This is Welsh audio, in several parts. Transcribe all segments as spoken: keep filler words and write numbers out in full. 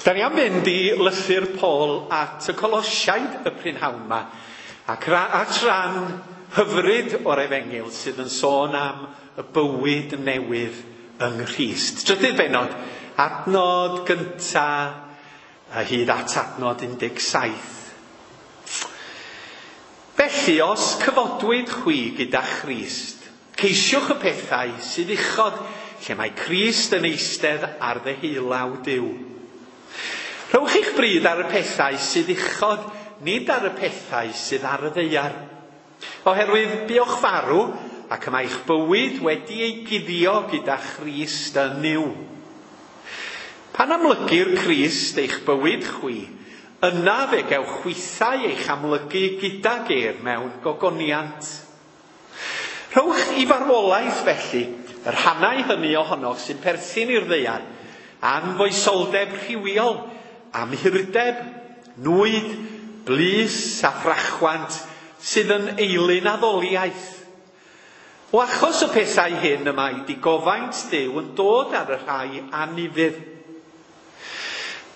Da ni am fynd i lythyr Paul at y Colosiaid y prynhawn yma, ac at ran hyfryd o'r Efengyl sydd yn sôn am y bywyd newydd yng Nghrist. Trydydd bennod, adnod gynta a hyd at adnod un deg saith. Felly, os cyfodwyd chwi gyda Christ, ceisiwch y pethau sydd uchod, lle mae Crist yn eistedd ar ddeheulaw Duw. Rhowch eich bryd ar y pethau sydd uchod, nid ar y pethau sydd ar y ddaear. Oherwydd buoch farw, ac y mae eich bywyd wedi ei guddio gyda Christ yn Nuw. Pan amlygir Crist eich bywyd chwi, yna fe gewch chwithau eich amlygu gydag ef mewn gogoniant. Rhowch i farwolaeth felly y rhannau hynny ohonoch sy'n perthyn i'r ddaear, anfoesoldeb rhywiol, amhurdeb, nwyd, blys a thrachwant sydd yn eilun addoliaeth. O achos y pethau hyn y mae digofaint Duw yn dod ar y rhai anufudd.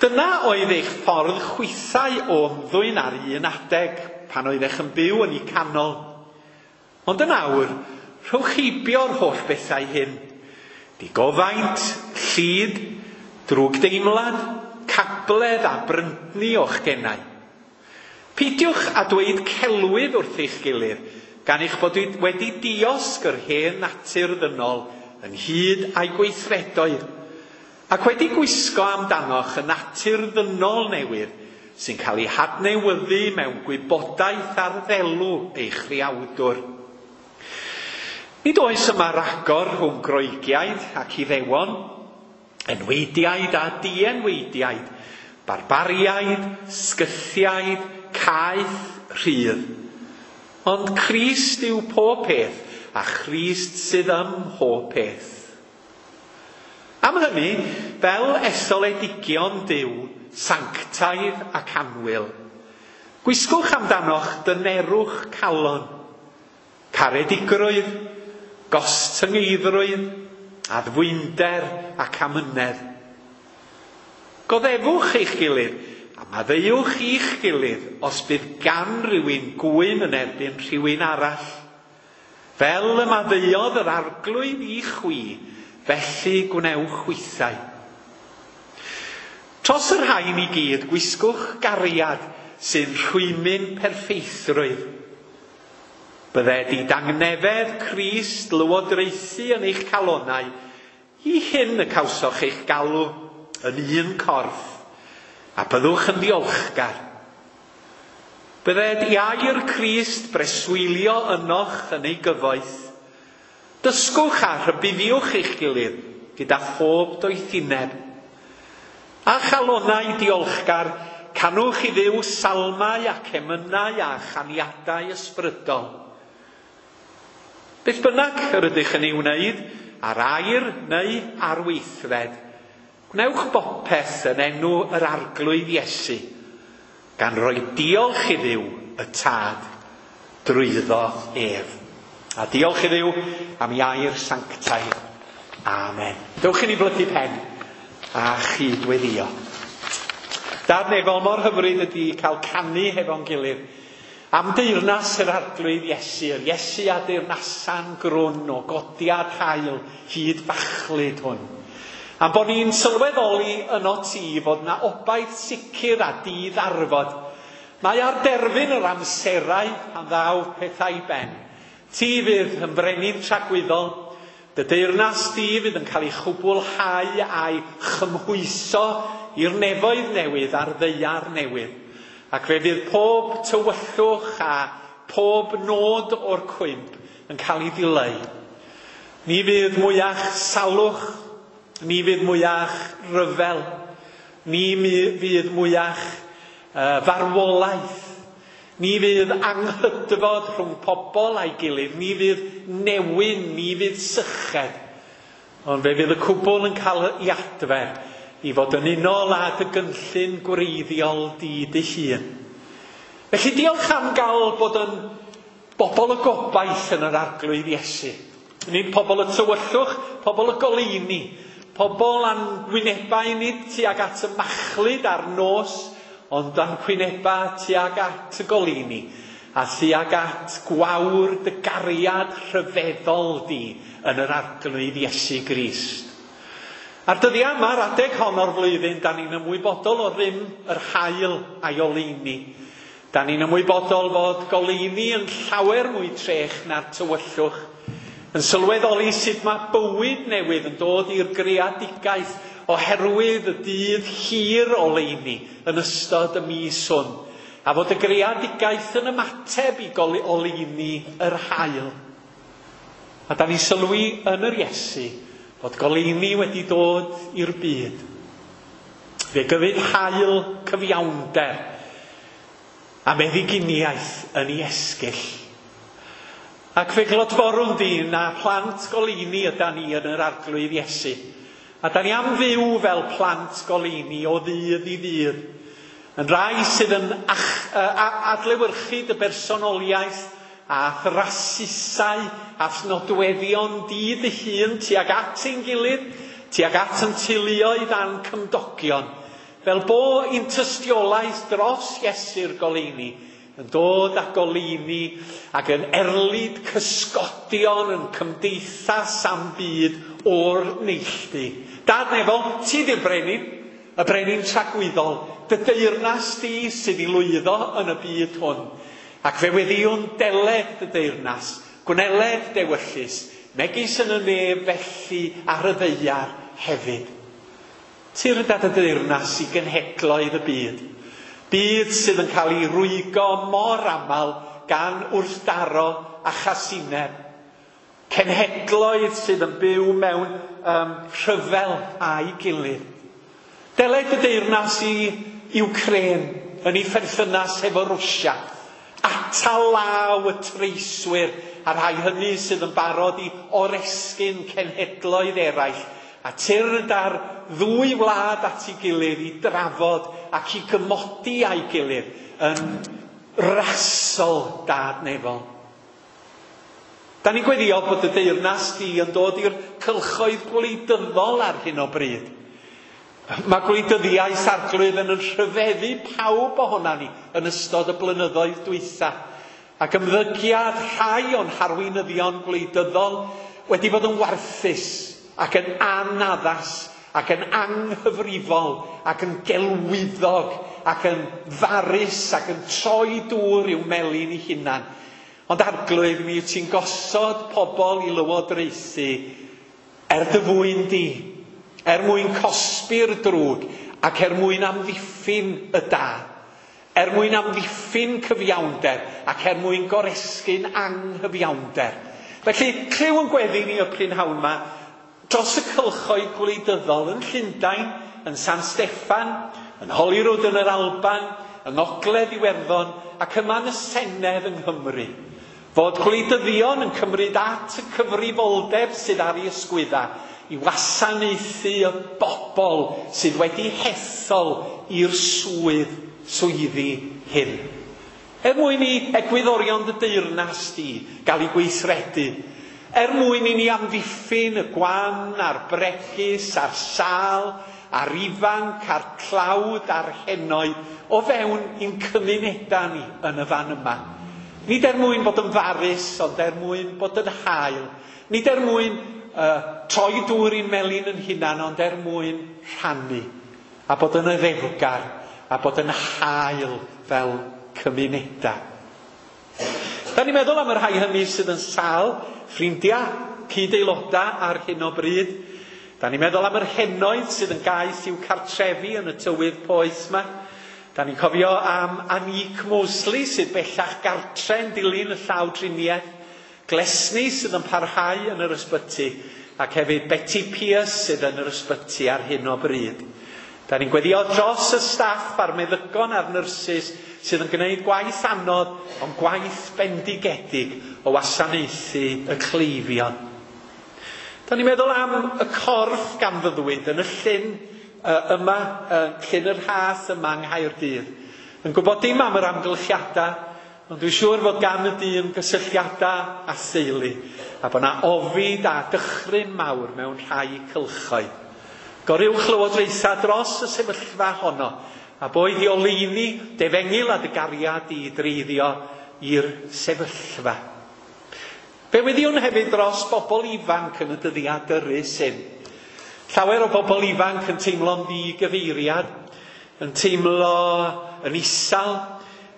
Dyna oedd eich ffordd chwithau o ymddwyn ar un adeg pan oeddech yn byw yn eu canol. Ond yn awr, rhowch heibio'r holl bethau hyn. Digofaint, llid, drwgdeimlad, cabledd a bryntni o'ch genau. Peidiwch a dweud celwydd wrth eich gilydd, gan eich bod wedi diosg yr hen natur ddynol ynghyd â'i gweithredoedd, ac wedi gwisgo amdanoch y natur ddynol newydd sy'n cael ei hadnewyddu mewn gwybodaeth ar ddelw eich rhiawdwr. Nid oes yma ragor rhwng Groegiaid ac Iddewon, enweidiaid a dienweidiaid, barbariaid, sgythiaid, caeth, rhydd. Ond Crist yw pob peth, a Christ sydd ym mhob peth. Am hynny, fel etholedigion Duw, sanctaidd ac annwyl, gwisgwch amdanoch dynerwch calon, caredigrwydd, gostyngeiddrwydd, addfwynder ac amynedd. Goddefwch eich gilydd, a maddeuwch i'ch gilydd os bydd gan rywun gwyn yn erbyn rhywun arall. Fel y maddeuodd yr Arglwydd i chwi, felly gwnewch chwithau. Tros y rhain i gyd, gwisgwch gariad sy'n rhwymyn perffeithrwydd. Bydded i dangnefedd Crist lywodraethu yn eich calonau, i hyn y cawsoch eich galw yn un corff, a byddwch yn ddiolchgar. Bydded i air Crist breswylio ynoch yn ei gyfoeth. Dysgwch a rhybuddiwch eich gilydd gyda phob doethineb. A chalonau diolchgar, canwch i Dduw salmau ac emynau a chaniadau ysbrydol. Beth bynnag yr ydych yn ei wneud, ar air neu ar weithred, gwnewch bopeth yn enw yr Arglwydd Iesu, gan roi diolch i Dduw y Tad drwyddo ef. A diolch i Dduw am ei air sanctaidd. Amen. Dewch i ni blygu pen a chydweddio. Dad nefol, mor hyfryd ydy cael canu hefo'n gilydd am deyrnas yr Arglwydd Iesu, yr Iesu a deyrnasan grwn o godiad haul hyd fachlud hwn. Am bod ni'n sylweddoli yno ti fod na obaith sicr a diddarfod. Mae ar derfyn yr amserau pan ddaw pethau i ben. Ti fydd yn frenin tragwyddol, dy deyrnas di fydd yn cael ei chwblhau a'i chymhwyso i'r nefoedd newydd a'r ddaear newydd. Ac fe fydd pob tywyllwch a pob nod o'r cwymp yn cael ei ddileu. Ni fydd mwyach salwch, ni fydd mwyach ryfel, ni fydd mwyach uh, farwolaeth, ni fydd anghydfod rhwng pobl a'i gilydd, ni fydd newyn, ni fydd syched. Ond fe fydd y cwbl yn cael ei adfer i fod yn unol â dy gynllun gwreiddiol di dy hun. Felly diolch am gael bod yn bobl y gobaith yn yr Arglwydd Iesu. Nid pobl y tywyllwch, pobl y goleuni, Pobl a'n gwynebau nid tuag at y machlud a'r nos, ond a'n gwynebau tuag at y goleuni, a tuag at gwawr dy gariad rhyfeddol di yn yr Arglwydd Iesu Grist. A'r dyddiau yma, yr adeg hon o'r flwyddyn, da ni'n ymwybodol o rym yr haul a'i oleuni. Da ni'n ymwybodol fod goleuni yn llawer mwy trech na'r tywyllwch, yn sylweddoli sut mae bywyd newydd yn dod i'r greadigaeth oherwydd y dydd hir oleuni yn ystod y mis hwn, a fod y greadigaeth yn ymateb i oleuni yr haul. A da ni'n sylwi yn yr Iesu fod goleuni wedi dod i'r byd. Fe gyfyd haul cyfiawnder a meddyginiaeth yn ei esgyll. Ac fe glodforwn di na plant goleuni ydan ni yn yr Arglwydd Iesu. A da ni am fyw fel plant goleuni o ddydd i ddydd. Yn rai sydd yn ach, adlewyrchu dy bersonoliaeth a thrasusau a nodweddion di dy hun tuag at ein gilydd, tuag at yn teuluoedd a'n cymdogion. Fel bo ein tystiolaeth dros Iesu'r goleuni yn dod â goleuni ac yn erlid cysgodion yn cymdeithas am byd o'r neilltu. Dad nefol, ti di'r brenin, y brenin tragwyddol, dy deyrnas di sydd i lwyddo yn y byd hwn. Ac fe weddiwn deled dy deyrnas, gwneled dewyllys, megis yn y nef felly ar y ddaear hefyd. Tyrd at y deyrnas i genhedloedd y byd. Byd sydd yn cael ei rwygo mor aml gan wrthdaro a chasineb. Cenhedloedd sydd yn byw mewn um, rhyfel a'i gilydd. Deled y deyrnas i Wcráin yn ei pherthynas efo Rwsia. Atal law y treiswyr a rhai hynny sydd yn barod i oresgyn cenhedloedd eraill. A tyrd ar ddwy wlad at ei gilydd i drafod ac i gymodi a'i gilydd yn rasol Dad nefol. Da ni'n gweddio bod y deyrnas di yn dod i'r cylchoedd gwleidyddol ar hyn o bryd. Mae gwleidyddiaeth Arglwydd yn rhyfeddu pawb ohona ni yn ystod y blynyddoedd dwytha. Ac ymddygiad rhai o'n harweinyddion gwleidyddol wedi bod yn warthus ac yn anaddas ac yn anghyfrifol ac yn gelwyddog ac yn farus ac yn troi dŵr i'w melin ei hunan. Ond Arglwydd, mi wyt ti'n gosod pobl i lywodraethu er dy fwyn di, er mwyn cosbi'r drwg ac er mwyn amddiffyn y da, er mwyn amddiffyn cyfiawnder ac er mwyn goresgyn anghyfiawnder. Felly, clyw yn gweddi ni y prynhawn yma dros y cylchoedd gwleidyddol yn Llundain, yn San Steffan, yn Holyrood yn yr Alban, yng Ngogledd Iwerddon ac yma yn y Senedd yng Nghymru. Fod gwleidyddion yn cymryd at y cyfrifoldeb sydd ar ei ysgwydda i wasanaethu y bobl sydd wedi hethol i'r swydd, swyddi hyn. Er mwyn i egwyddorion dy deyrnas di gael ei gweithredu, er mwyn i ni amddiffyn y gwan a'r bregus a'r sâl, a'r ifanc, a'r tlawd, a'r henoed o fewn i'n cymunedau ni yn y fan yma. Nid er mwyn bod yn farus, ond er mwyn bod yn hael. Nid er mwyn uh, troi dŵr i'n melin yn hunan, ond er mwyn rhannu. A bod yn oddefgar, a bod yn hael fel cymunedau. Da ni'n meddwl am y rhai hynny sydd yn sâl, ffrindiau, cyd-aelodau ar hyn o bryd. Da ni'n meddwl am yr henoed sydd yn gaeth i'w cartrefi yn y tywydd poeth yma. Da ni'n cofio am Anique Mosley sydd bellach gartre yn dilyn y llawdriniaeth, Glesni sydd yn parhau yn yr ysbyty, ac hefyd Betty Pierce sydd yn yr ysbyty ar hyn o bryd. Da ni'n gweddio dros y staff a'r meddygon a'r nyrsys sydd yn gwneud gwaith anodd, ond gwaith bendigedig o wasanaethu y cleifion. Da ni'n meddwl am y corff ganfyddwyd yn y llyn yma, Llyn yr Rhath yma yng Nghaerdydd. Yn gwybod dim am yr amgylchiadau, ond dwi'n siŵr fod gan y dyn gysylltiadau a theulu, a bod yna ofid a dychryn mawr mewn rhai cylchoedd. Goruwch lywodraetha dros y sefyllfa honno, a boed i oleuni, defengyl a dy gariad i dreiddio i'r sefyllfa. Fe weddiwn hefyd dros bobl ifanc yn y dyddiau dyrys hyn. Llawer o bobl ifanc yn teimlo'n ddigyfeiriad, yn teimlo yn isal,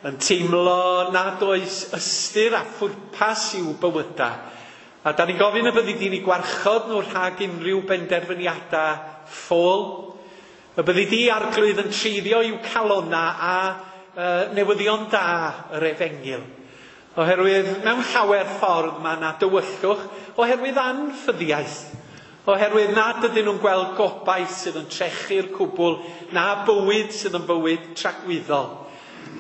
yn teimlo nad oes ystyr a phwrpas i'w bywydau. A da ni'n gofyn y byddi di'n eu gwarchod nhw rhag unrhyw benderfyniadau ffôl. Y byddi di Arglwydd yn treiddio i'w calona a uh, newyddion da yr efengyl. Oherwydd mewn llawer ffordd mae yna dywyllwch, oherwydd anffyddiaeth. Oherwydd nad ydyn nhw'n gweld gobaith sydd yn trechu'r cwbl, na bywyd sydd yn bywyd tragwyddol.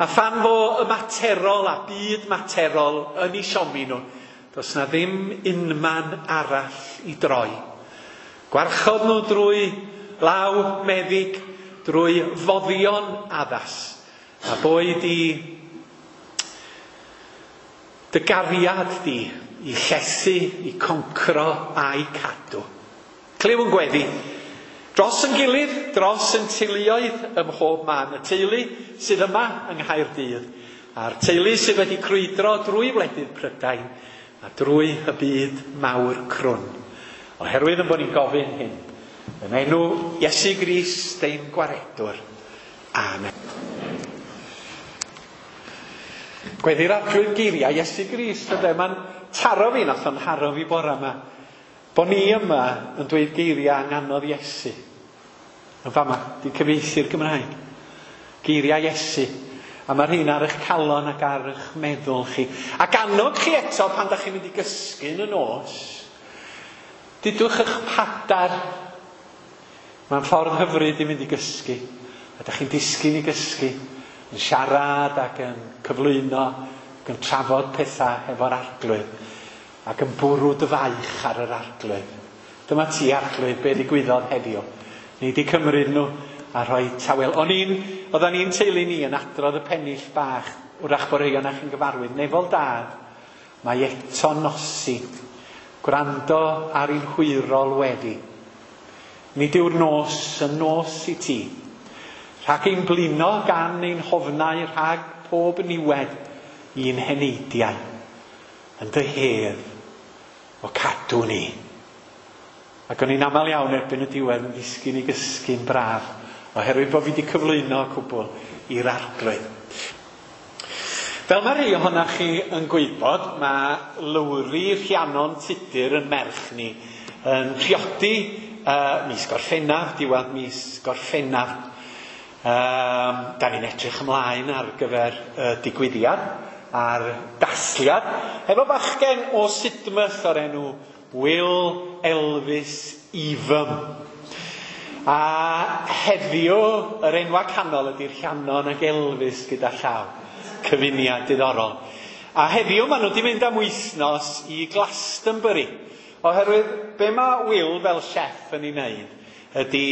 A phan fo y materol a byd materol yn eu siomi nhw, does na ddim unman arall i droi. Gwarchod nhw drwy law meddyg, drwy foddion addas, a boed i dy gariad di i llethu, i concro a'i cadw. Clyw yn gweddi. Dros yn gilydd, dros yn teuluoedd ym mhob man. Y teulu sydd yma yng Nghaerdydd, a'r teulu sydd wedi crwydro drwy wledydd Prydain a drwy y byd mawr crwn. Oherwydd yn bod ni'n gofyn hyn, yn enw Iesu Grist ein gwaredwr. Amen. Gweddi'r Arglwydd geiriau Iesu Grist, ynde? Mae'n taro fi, nath o'n haro fi bore yma. Bo ni yma yn dweud geiriau anganodd Iesu. Yn fama, di cyfieithu'r Gymraeg. Geiriau Iesu. A mae'r rhain ar eich calon ac ar eich meddwl chi. Ac annog chi eto pan da chi'n mynd i gysgu yn y nos. Dudwch eich padar. Mae'n ffordd hyfryd i mynd i gysgu. A da chi'n disgyn i gysgu. Yn siarad ac yn cyflwyno ac yn trafod pethau efo'r Arglwydd. Ac yn bwrw dy faich ar yr Arglwydd. Dyma ti, Arglwydd, be ddigwyddodd heddiw. Ni di cymryd nhw a rhoi tawel. O'n i'n, oeddan ni'n teulu ni yn adrodd y pennill bach, wrach bod rhai ohonoch chi'n gyfarwydd. Nefol dad, mae eto nosi, gwrando ar ein hwyrol weddi. Nid yw'r nos yn nos i ti. Rhag ein blino gan ein hofnau, rhag pob niwed i'n heneidiau. Yn dy hedd o cadw ni. Ac o'n i'n aml iawn erbyn y diwedd yn ddisgyn i gysgu'n braf, oherwydd bod fi wedi cyflwyno cwbl i'r Arglwydd. Fel mae rhai ohonoch chi yn gwybod, mae Lowri Rhiannon Tudur yn merch ni yn priodi uh, mis Gorffennaf, diwedd mis Gorffennaf. Um, da ni'n edrych ymlaen ar gyfer y digwyddiad a'r dathliad, efo bachgen o Sidmouth o'r enw Will Elvis Evam. A heddiw, yr enwa canol ydy'r Rhiannon ac Elvis gyda llaw. Cyfuniad diddorol. A heddiw maen nhw wedi mynd am wythnos i Glastonbury. Oherwydd be mae Will fel chef yn ei wneud ydy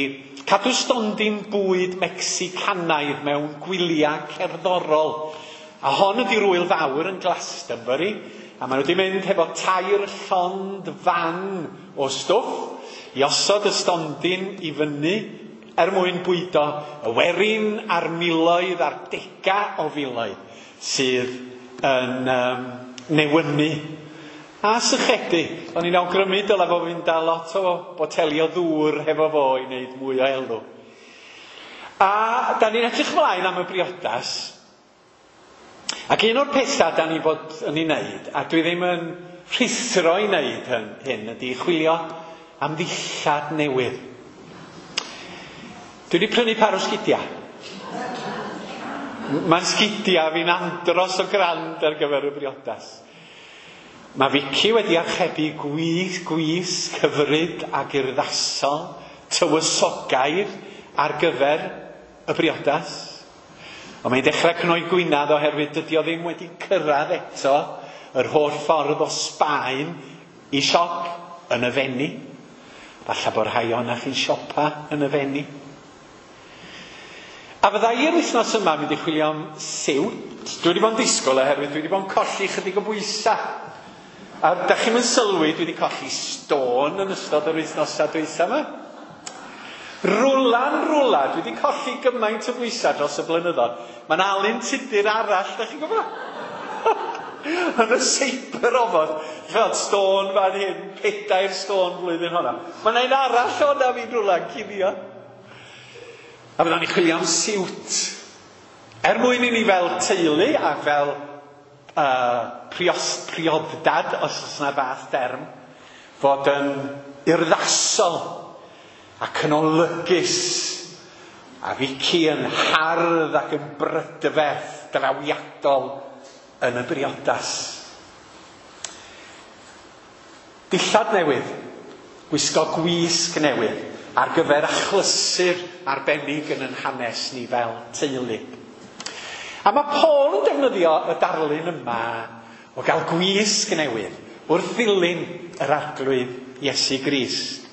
cadw stondin bwyd Mecsicanaidd mewn gwyliau cerddorol. A hon ydy'r wyl fawr yn Glastonbury. A maen nhw wedi mynd hefo tair llond fan o stwff i osod y stondin i fyny er mwyn bwydo y werin a'r miloedd a'r dega o filoedd sydd yn um, newynu a sychedu. O'n i'n awgrymu dylai fo fynd â lot o boteli o ddŵr hefo fo i wneud mwy o elw. A da ni'n edrych ymlaen am y briodas. Ac un o'r pethau da ni bod yn ei wneud, a dwi ddim yn rhuthro i wneud hyn, hyn ydy chwilio am ddillad newydd. Dwi wedi prynu par o sgidiau. Mae'n sgidiau fi'n andros o grand ar gyfer y briodas. Mae Vicky wedi archebu gwys, gwys cyfryd ac urddasol, tywysogaidd ar gyfer y briodas. Ond mae'n dechrau cnoi gwynedd oherwydd dydy o ddim wedi cyrraedd eto yr holl ffordd o Sbaen i siop yn y Fenni. Falle bod rhai ohonoch chi'n siopa yn y Fenni. A fydda i'r wythnos yma mynd i chwilio am siwt. Dwi wedi bod yn disgwyl oherwydd dwi wedi bod yn colli chydig o bwysau. A da chi'm yn sylwi, dwi wedi colli stôn yn ystod yr wythnosau dwytha yma. Rwla'n rwla, dwi wedi colli gymaint o bwysau dros y blynyddoedd. Mae'n Alun Tudur arall, da chi'n gwybod? Yn y seiber ofod, fel stôn fan hyn, pedair stôn flwyddyn honna. Mae'n un arall o'na fi'n rwla'n cuddio. A fyddan ni'n chwilio am siwt. Er mwyn i ni fel teulu a fel uh, prios, prioddad, os oes yna fath derm, fod yn urddasol ac yn olygus, a Vicky yn hardd ac yn brydferth drawiadol yn y briodas. Dillad newydd, gwisgo gwisg newydd ar gyfer achlysur arbennig yn yn hanes ni fel teulu. A mae Paul yn defnyddio y darlun yma o gael gwisg newydd wrth ddilyn yr Arglwydd Iesu Grist.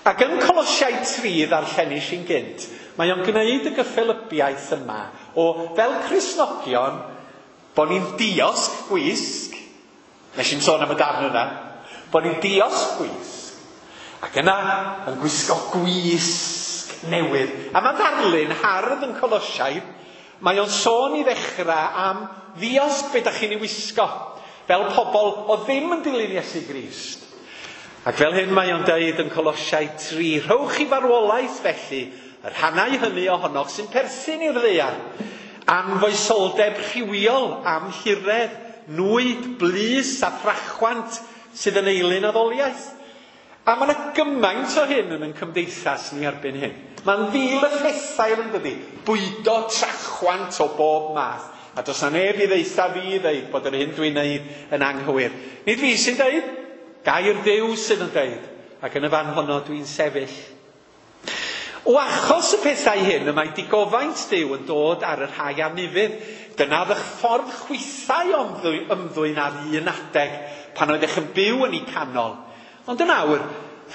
Ac yn Colosiaid tri ddarllenis i'n gynt, mae o'n gwneud y gyffelybiaeth yma o fel Cristnogion bod ni'n diosg gwisg, nes i'n sôn am y darn yna, bod ni'n diosg gwisg, ac yna yn gwisgo gwisg newydd. A mae ddarlun hardd yn Colosiaid, mae o'n sôn i ddechrau am ddiosg be da chi'n ei wisgo, fel pobl o ddim yn dilyn Iesu Grist. Ac fel hyn mae o'n deud yn Colosiaid tri, rhowch i farwolaeth felly y rhannau hynny ohonoch sy'n perthyn i'r ddaear, anfoesoldeb rhywiol, amhuredd, nwyd, blys a thrachwant sydd yn eilun addoliaeth. A mae yna gymaint o hyn yn ein cymdeithas ni erbyn hyn. Mae'n fil y phethau yn dydi, bwydo trachwant o bob math. A does na neb i ddeutha fi i ddeud bod yr hyn dwi'n neud yn anghywir. Nid fi sy'n deud, gair Duw sydd yn deud, ac yn y fan honno dwi'n sefyll. O achos y pethau hyn y mae digofaint Duw yn dod ar y rhai anufudd. Dyna ddych ffordd chwithau ymddwyn ar un adeg pan oeddech yn byw yn eu canol. Ond yn awr,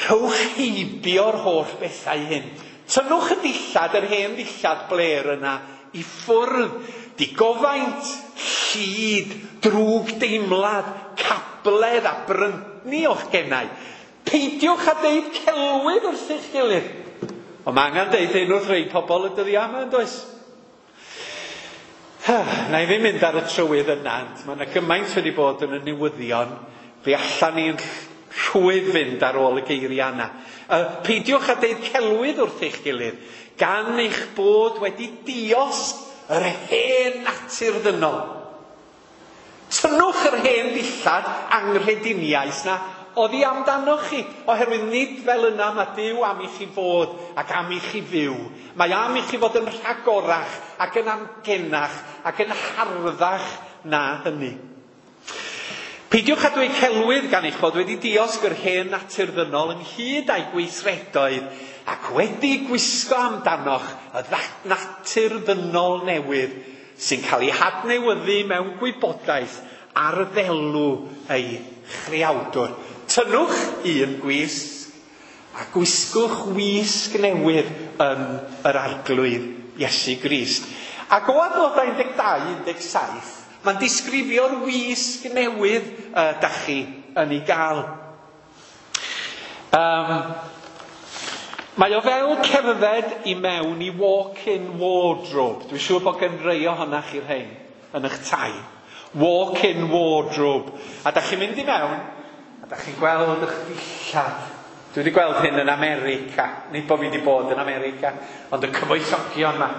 rhowch heibio'r holl bethau hyn. Tynnwch y dillad, yr hen ddillad blêr yna, i ffwrdd. Digofaint, llid, drwg deimlad, cabledd a bryntni o'ch genau. Peidiwch a deud celwydd wrth eich gilydd. Ond mae angen deud hyn wrth rei pobl y dyddiau yma, yn does? Na i ddim mynd ar y trywydd yna, ond mae yna gymaint wedi bod yn y newyddion, fe allan ni'n rhwydd fynd ar ôl y geiriau yna. Uh, peidiwch a deud celwydd wrth eich gilydd, gan eich bod wedi diosg yr hen natur ddynol. Tynnwch yr hen ddillad anghrediniaeth na oddi amdanoch chi, oherwydd nid fel yna mae Duw am i chi fod ac am i chi fyw. Mae am i chi fod yn rhagorach ac yn amgenach ac yn harddach na hynny. Peidiwch â dweud celwydd gan eich bod wedi diosg yr hen natur ddynol ynghyd â'i gweithredoedd ac wedi gwisgo amdanoch y natur ddynol newydd sy'n cael ei hadnewyddu mewn gwybodaeth ar ddelw ei chreawdwr. Tynnwch un gwisg a gwisgwch wisg newydd yn yr Arglwydd Iesu Grist. Ac o adnodau un deg dau un deg saith, mae'n disgrifio'r wisg newydd uh, dach chi yn ei gael. Um, mae o fel cerdded i mewn i walk-in wardrobe. Dwi'n siŵr bod gen rei ohonoch chi'r rhain yn eich tai. Walk-in wardrobe. A dach chi'n mynd i mewn, a dach chi'n gweld eich dillad. Dwi wedi gweld hyn yn America. Nid bod fi wedi bod yn America, ond y cyfoethogion yma.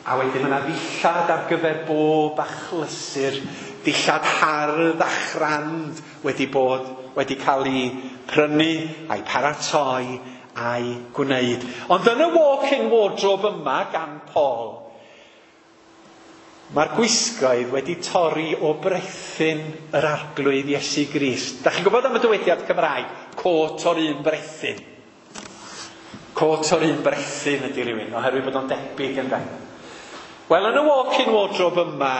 A wedyn mae yna ddillad ar gyfer bob achlysur, dillad hardd a chrand wedi bod, wedi cael ei prynu a'i paratoi a'i gwneud. Ond yn y walk-in wardrobe yma gan Paul, mae'r gwisgoedd wedi torri o brethyn yr Arglwydd Iesu Grist. Da chi'n gwybod am y dywediad Cymraeg? Cot o'r un brethyn. Cot o'r un brethyn ydy rhywun, oherwydd bod o'n debyg yn ben. Wel, yn y walk-in wardrobe yma,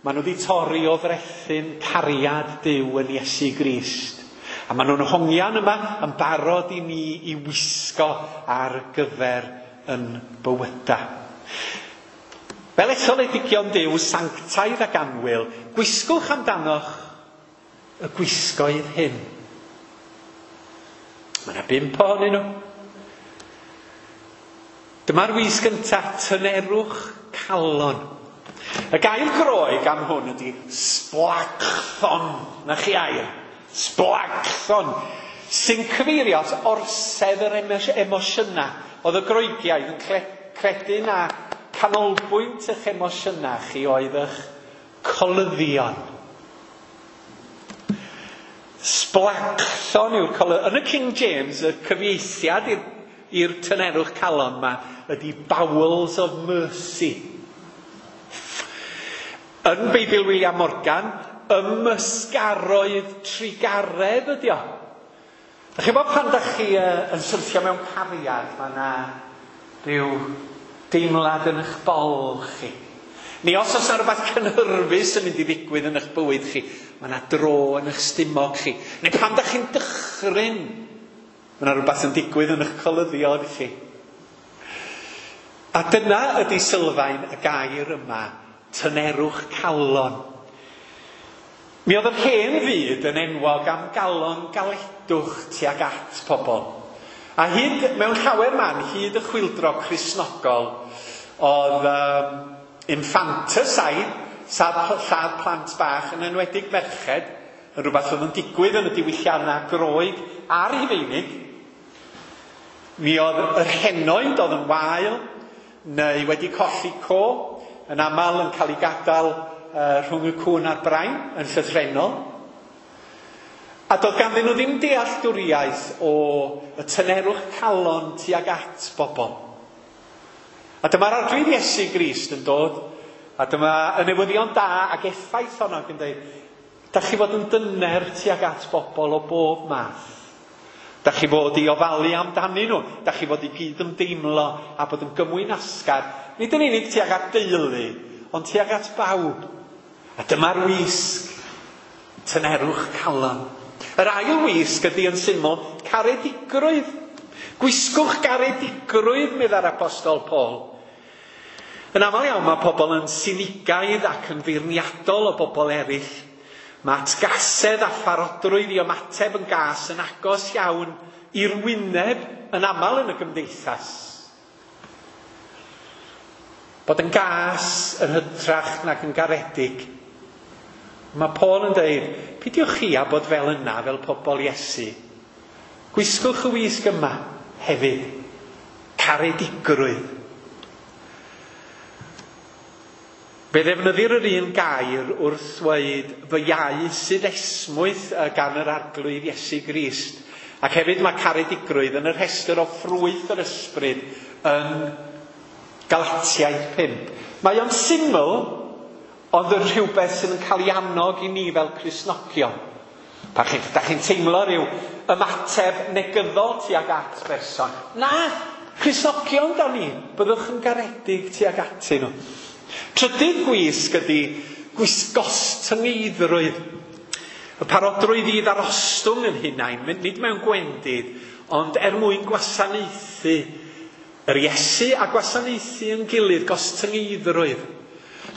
maen nhw wedi torri o frethyn cariad Duw yn Iesu Grist. A maen nhw'n hongian yma yn barod i ni i wisgo ar gyfer yn bywyda. Fel etholedigion Duw, sanctaidd ac annwyl, gwisgwch amdanoch y gwisgoedd hyn. Mae yna bump ohonyn nhw. Dyma'r wys gyntaf, tynerwch calon. Y gair Groeg am hwn ydy sblagthon. Na chi air. Sblagthon. Sy'n cyfeirio at orsedd yr emosiynau. Oedd y Groegiaid yn credu na canolbwynt eich emosiynau chi oedd eich colyddion. Sblagthon yw'r colyddion. Yn y King James, y cyfieithiad i'r tynerwch calon yma ydy bowels of mercy. Yn Beibl William Morgan, ymysgaroedd trugaredd ydy o. Da chi'n bod pan da chi uh, yn syrthio mewn cariad, mae yna rhyw deimlad yn eich bol chi. Neu os oes yna rhywbeth cynhyrfus yn mynd i ddigwydd yn eich bywyd chi, mae yna dro yn eich stumog chi. Neu pan da chi'n dychryn, mae yna rhywbeth yn digwydd yn eich colyddion chi. A dyna ydy sylfaen y gair yma, tynerwch calon. Mi oedd yr hen fyd yn enwog am galon galedwch tuag at pobl. A hyd, mewn llawer man, hyd y chwyldro Cristnogol, oedd um, infanticide, lladd plant bach, yn enwedig merched, yn rhywbeth oedd yn digwydd yn y diwylliannau Groeg a Rhufeinig. Mi oedd yr henoed oedd yn wael, neu wedi colli co, yn aml yn cael ei gadael uh, rhwng y cwn a'r brain, yn llythrennol. A doedd ganddyn nhw ddim dealltwriaeth o y tynerwch calon tuag at bobl. A dyma'r Arglwydd Iesu Grist yn dod, a dyma y newyddion da ac effaith honno ac yn dweud, da chi fod yn dyner tuag at bobl o bob math. Da chi fod i ofalu amdanyn nhw, da chi fod i gyd-ymdeimlo a bod yn gymwynasgar. Nid yn unig tuag at deulu, ond tuag at bawb. A dyma'r wisg, tynerwch calon. Yr ail wisg ydy yn syml caredigrwydd. Gwisgwch garedigrwydd, meddai'r Apostol Paul. Yn aml iawn mae pobl yn sinigaidd ac yn feirniadol o bobl eraill. Mae atgasedd a pharodrwydd i ymateb yn gas yn agos iawn i'r wyneb yn aml yn y gymdeithas. Bod yn gas yn hytrach nag yn garedig. Mae Paul yn dweud, peidiwch chi â bod fel yna, fel pobl Iesu. Gwisgwch y wisg yma hefyd. Caredigrwydd. Fe ddefnyddir yr un gair wrth ddweud fy iau sydd esmwyth gan yr Arglwydd Iesu Grist. Ac hefyd mae caredigrwydd yn y rhestr o ffrwyth yr ysbryd yn Galatiaid pump. Mae o'n syml, ond yn rhywbeth sydd yn cael ei annog i ni fel Cristnogion. Pan chi, da chi'n teimlo rhyw ymateb negyddol tuag at berson. Na, Cristnogion da ni, byddwch yn garedig tuag atyn nhw. Trydydd gwisg ydy gwisgos tyngeiddrwydd. Y parodrwydd i ddarostwng yn hunain, nid mewn gwendid, ond er mwyn gwasanaethu yr Iesu a gwasanaethu yn gilydd, gostyngeiddrwydd.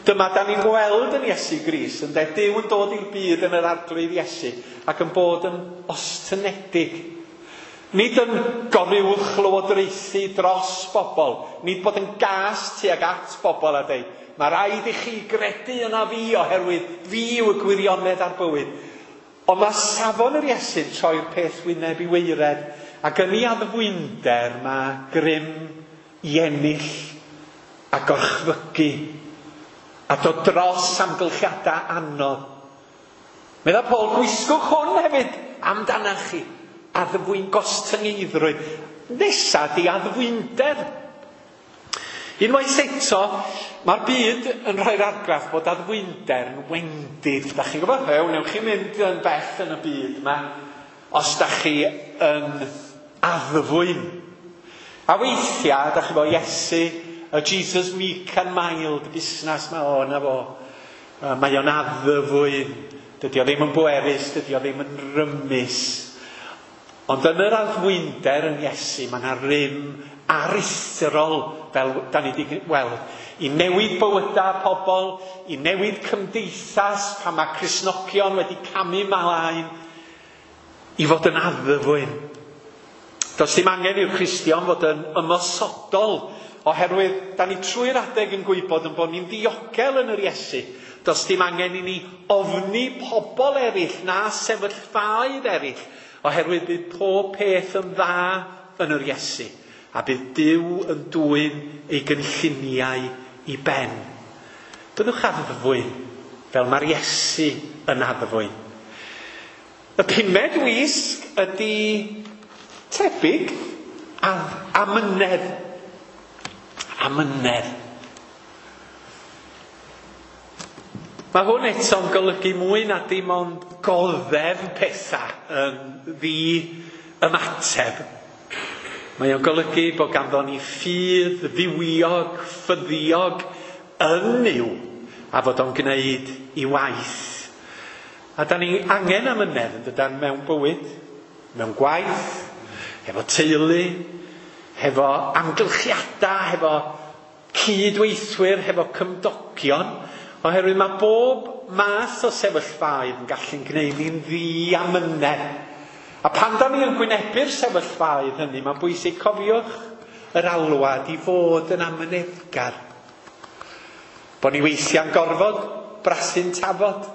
Dyma da ni'n gweld yn Iesu Grist, ynde, Duw yn dod i'r byd yn yr Arglwydd Iesu ac yn bod yn ostynedig. Nid yn goruwch lywodraethu dros bobl, nid bod yn gas tuag at bobl a dweud, mae rhaid i chi gredu yna fi oherwydd fi yw y gwirionedd a'r bywyd. Ond mae safon yr Iesu'n troi'r peth wyneb i weired, ac yn ei addfwynder mae grym i ennill a gorchfygu a dod dros amgylchiadau anodd. Medda Paul, gwisgwch hwn hefyd amdanach chi, addfwyn gostyngeiddrwydd. Nesa di addfwynder. Unwaith eto, mae'r byd yn rhoi'r argraff bod addfwynder yn wendid. Da chi'n gwybod? Ew, newch chi mynd yn bell yn y byd yma os da chi yn addfwyn. A weithiau, da chi'n gwybod, Iesu, y Jesus meek and mild, busnes mae o, na fo. Mae o'n addfwyn. Dydy o ddim yn bwerus, dydy o ddim yn rymus. Ond yn yr addfwynder yn Iesu, mae yna rym aruthrol, fel da ni wedi weld, i newid bywydau pobl, i newid cymdeithas, pan mae Cristnogion wedi camu mlaen, i fod yn addfwyn. Does dim angen i'r Cristion fod yn ymosodol Oherwydd, da ni trwy'r adeg yn gwybod yn bod ni'n ddiogel yn yr Iesu. Does dim angen i ni ofni pobl eraill na sefyllfaoedd eraill, oherwydd bydd pob peth yn dda yn yr Iesu. A bydd Duw yn dwyn ei gynlluniau i ben. Byddwch addfwyn, fel mae'r Iesu yn addfwyn. Y pumed wisg ydy tebyg amynedd. Amynedd. Mae hwn eto'n golygu mwy na dim ond goddef pethau yn ddi-ymateb. Mae o'n golygu bod ganddo ni ffydd fywiog, ffyddiog yn Nuw, a fod o'n gwneud i waith. A da ni angen amynedd yn dydan mewn bywyd, mewn gwaith, hefo teulu, hefo amgylchiadau, hefo cydweithwyr, hefo cymdogion, oherwydd mae bob math o sefyllfaoedd yn gallu'n gwneud ni'n ddiamynedd. A pan da ni yn gwynebu'r sefyllfaoedd hynny, mae'n bwysig cofiwch yr alwad i fod yn amyneddgar. Bo ni weithiau'n gorfod brasu'n tafod,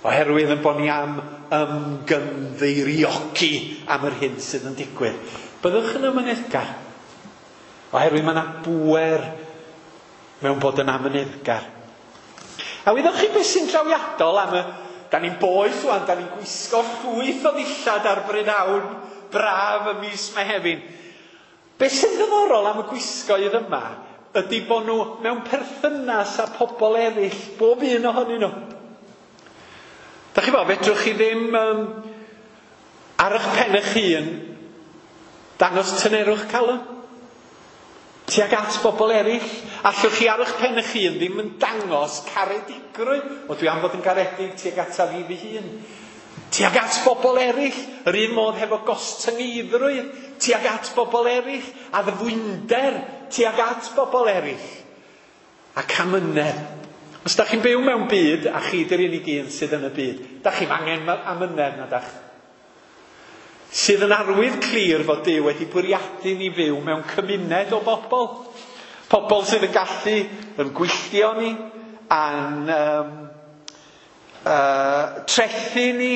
oherwydd yn bod ni am ymgynddeiriogi am yr hyn sydd yn digwydd. Byddwch yn amyneddgar, oherwydd mae yna bŵer mewn bod yn amyneddgar. A wyddoch chi beth sy'n drawiadol am y... Da ni'n boeth wan, da ni'n gwisgo llwyth o ddillad ar brynhawn braf y mis Mehefin. Beth sy'n ddiddorol am y gwisgoedd yma ydy bod nhw mewn perthynas â pobl eraill, bob un ohonyn nhw. Da chi bo, fedrwch chi ddim um, ar eich pen eich hun dangos tynerwch calon tuag at bobl eraill. Allwch chi ar eich pen eich hun ddim yn dangos caredigrwydd. O, dwi am fod yn garedig tuag ata fi fy hun. Tuag at bobl eraill, yr un modd hefo gostyngeiddrwydd, tuag at bobl eraill, addfwynder tuag at bobl eraill. Ac amynedd. Os da chi'n byw mewn byd, a chi di'r unig un sydd yn y byd, da chi'm angen amynedd na dach. Sydd yn arwydd clir fod Duw wedi bwriadu ni fyw mewn cymuned o bobl. Pobl sydd yn gallu yn gwylltio ni, a'n um, uh, trethu ni,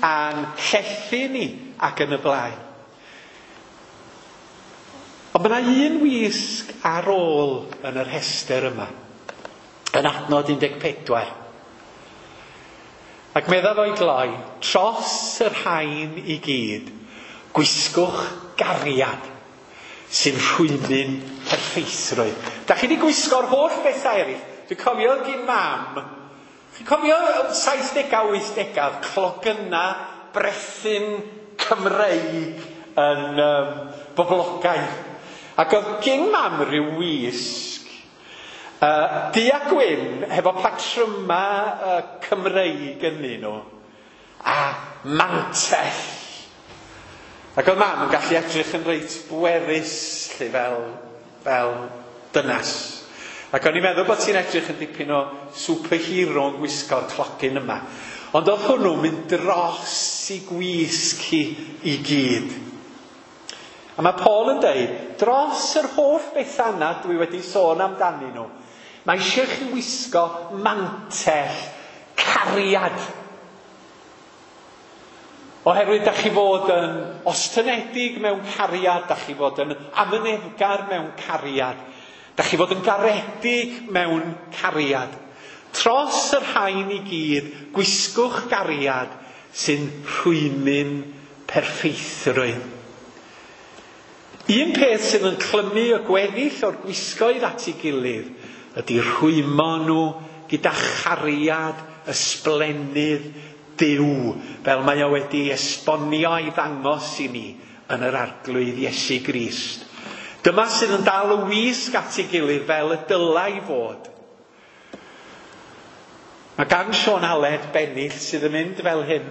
a'n llethu ni, ac yn y blaen. Ond mae yna un wisg ar ôl yn yr rhestr yma, yn adnod un deg pedwar. Ac meddaf o'i gloi, tros y rhain i gyd, gwisgwch gariad sy'n rhwymyn perffeithrwydd. Da chi wedi gwisgo'r holl bethau eraill. Dwi'n cofio gyn mam. Chi'n cofio saithdegau, wythdegau, clogyna brethyn Cymreig yn um, boblogaidd. Ac oedd gyn mam rhyw wisg uh, du a gwyn hefo patryma uh, Cymreig ynddyn nhw a mantell. Ac oedd mam yn gallu edrych yn reit bwerus, lle fel, fel dynas. Ac o'n i'n meddwl bod ti'n edrych yn dipyn o superhero yn gwisgo'r clogyn yma. Ond oedd hwnnw'n mynd dros i gwisg hi i gyd. A mae Paul yn deud, dros yr holl bethau yna dwi wedi sôn amdanyn nhw, mae eisiau chi wisgo mantell cariad. Oherwydd da chi fod yn ostynedig mewn cariad, da chi fod yn amyneddgar mewn cariad, da chi fod yn garedig mewn cariad. Tros y rhain i gyd, gwisgwch gariad sy'n rhwymyn perffeithrwydd. Un peth sydd yn clymu y gweddill o'r gwisgoedd at ei gilydd ydy rhwymo nhw gyda chariad ysblennydd Duw, fel mae o wedi esbonio a'i ddangos i ni yn yr Arglwydd Iesu Grist. Dyma sydd yn dal y wisg at ei gilydd fel y dylai fod. Mae gan Siôn Aled bennill sydd yn mynd fel hyn.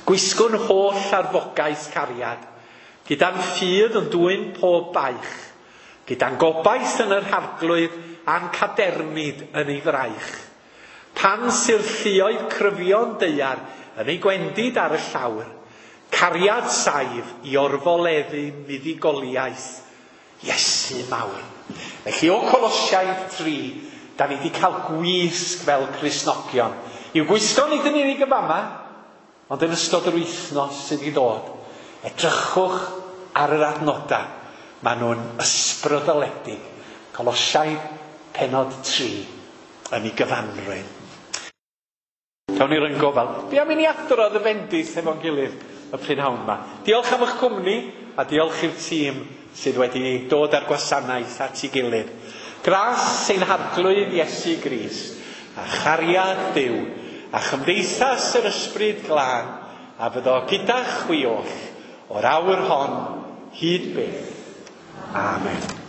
Gwisgwn holl arfogaeth cariad, gyda'n ffydd yn dwyn pob baich, gyda'n gobaith yn yr Arglwydd a'n cadernid yn ei fraich. Pan sy'r lluoedd cryfion daear yn ei gwendid ar y llawr, cariad saif i orfoleddu muddugoliaeth Iesu. Iesu mawr. Felly o Colosiaid tri, da ni wedi cael gwisg fel Cristnogion. I'w gwisgo nid yn unig y fama, ond yn ystod yr wythnos sydd i ddod. Edrychwch ar yr adnodau. Maen nhw'n ysbrydoledig. Colosiaid pennod tri yn ei gyfanrwydd. Cawn ni roi'n gofal. Be am i ni adrodd y fendith efo'n gilydd y prynhawn yma. Diolch am eich cwmni a diolch i'r tîm sydd wedi dod â'r gwasanaeth at ei gilydd. Gras ein Harglwydd Iesu Grist a chariad Duw a chymdeithas yr Ysbryd Glân a fyddo gyda chwi oll o'r awr hon hyd byth. Amen.